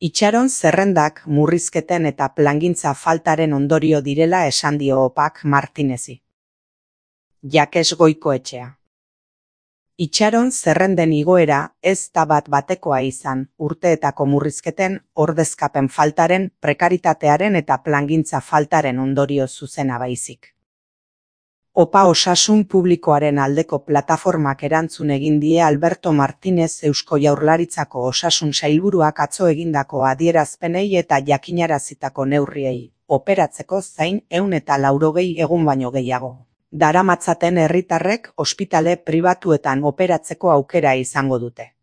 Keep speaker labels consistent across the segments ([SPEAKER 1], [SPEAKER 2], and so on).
[SPEAKER 1] Itxaron zerrendak murrizketen eta plangintza faltaren ondorio direla esan dio OPAK Martinezi. Jakes Goikoetxea. Itxaron zerrenden igoera ez da bat-batekoa izan, urteetako murrizketen, ordezkapen faltaren, prekaritatearen eta plangintza faltaren ondorio zuzena baizik. OPA Osasun Publikoaren aldeko plataformak erantzun egin die Alberto Martinez Eusko Jaurlaritzako Osasun Sailburuak atzo egindako adierazpenei eta jakinarazitako neurriei, operatzeko zain 180 egun baino gehiago daramatzaten herritarrek ospitale pribatuetan operatzeko aukera izango dute.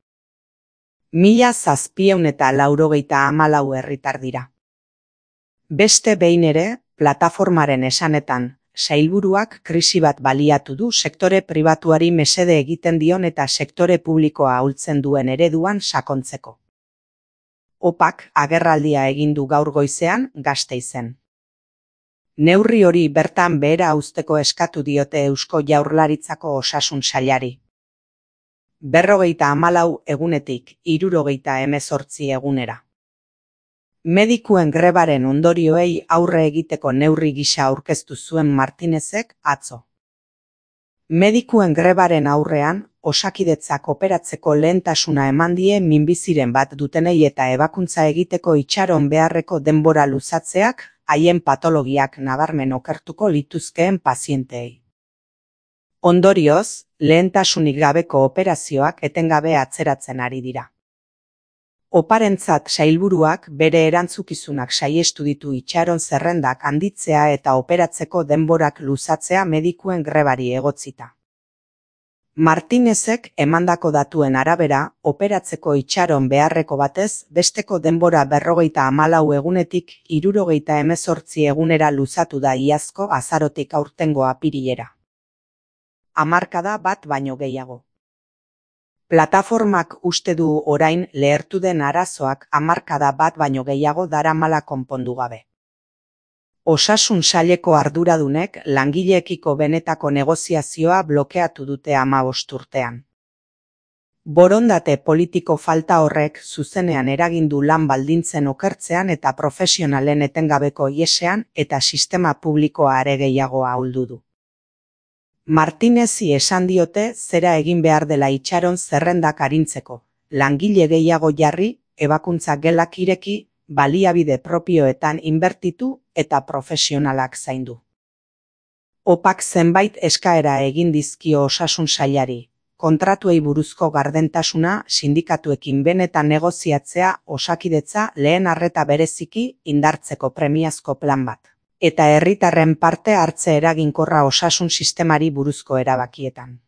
[SPEAKER 1] 1794 herritar dira. Beste behin ere, plataformaren esanetan, sailburuak krisi bat baliatu du sektore pribatuari mesede egiten dion eta sektore publikoa ahultzen duen ereduan sakontzeko. OPAK agerraldia egin du gaur goizean Gasteizen. Neurri hori bertan behera uzteko eskatu diote Eusko Jaurlaritzako Osasun Sailari. 54 egunetik 78 egunera. Medikuen grebaren ondorioei aurre egiteko neurri gisa aurkeztu zuen Martinezek atzo. Medikuen grebaren aurrean, Osakidetzak operatzeko lehentasuna eman die minbiziren bat dutenei eta ebakuntza egiteko itxaron beharreko denbora luzatzeak, haien patologiak nabarmen okertuko lituzkeen pazienteei. Ondorioz, lehentasunik gabeko operazioak etengabe atzeratzen ari dira. Oparentzat sailburuak bere erantzukizunak saihestu ditu itxaron zerrendak handitzea eta operatzeko denborak luzatzea medikuen grebari egotzita. Martinezek emandako datuen arabera, operatzeko itxaron beharreko batez, besteko denbora 54 egunetik 78 egunera luzatu da iazko azarotik aurtengo apirilera. Hamarkada bat baino gehiago. Plataformak uste du orain lehertu den arazoak hamarkada bat baino gehiago daramala konpondu gabe. Osasun saileko arduradunek langileekiko benetako negoziazioa blokeatu dute 15 urtean. Borondate politiko falta horrek zuzenean eragindu lan baldintzen okertzean eta profesionalen etengabeko ihesean eta sistema publikoa are gehiago ahuldu du. Martinezi esan diote zera egin behar dela itxaron zerrendak arintzeko, langile gehiago jarri, ebakuntza gelak ireki, baliabide propioetan inbertitu eta profesionalak zaindu. OPAK zenbait eskaera egin dizkio Osasun Sailari, kontratuei buruzko gardentasuna sindikatuekin benetan negoziatzea Osakidetza lehen arreta bereziki indartzeko premiazko plan bat, eta herritarren parte hartze eraginkorra osasun sistemari buruzko erabakietan.